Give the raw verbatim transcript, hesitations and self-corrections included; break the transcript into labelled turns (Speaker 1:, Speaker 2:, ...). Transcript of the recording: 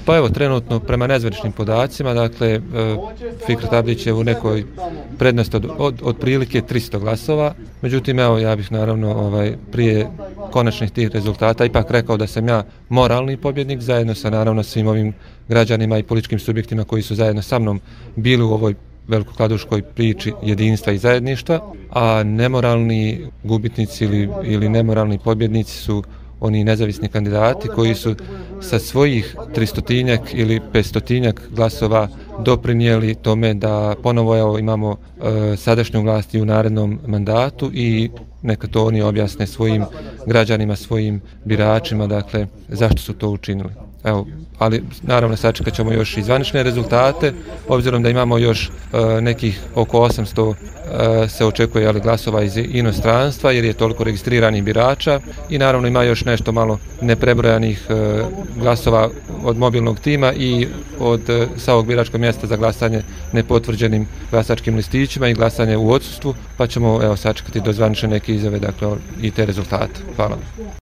Speaker 1: Pa evo, trenutno prema nezvaničnim podacima, dakle, Fikret Abdić je u nekoj prednosti od, od, od prilike tristo glasova, međutim, evo, ja bih naravno ovaj, prije konačnih tih rezultata ipak rekao da sam ja moralni pobjednik, zajedno sa naravno svim ovim građanima i političkim subjektima koji su zajedno sa mnom bili u ovoj velikokladuškoj priči jedinstva i zajedništva, a nemoralni gubitnici ili, ili nemoralni pobjednici su oni nezavisni kandidati koji su sa svojih tristotinjak ili petstotinjak glasova doprinijeli tome da ponovo evo, imamo e, sadašnju vlast i u narednom mandatu i neka to oni objasne svojim građanima, svojim biračima, dakle, zašto su to učinili. Evo, ali naravno sačekat ćemo još i zvanične rezultate, obzirom da imamo još e, nekih oko osamsto e, se očekuje ali, glasova iz inostranstva jer je toliko registriranih birača i naravno ima još nešto malo neprebrojanih e, glasova od mobilnog tima i od e, sa ovog biračkog mjesta za glasanje nepotvrđenim glasačkim listićima i glasanje u odsustvu, pa ćemo evo sačekati do zvanične neke izjave, dakle, i te rezultate. Hvala.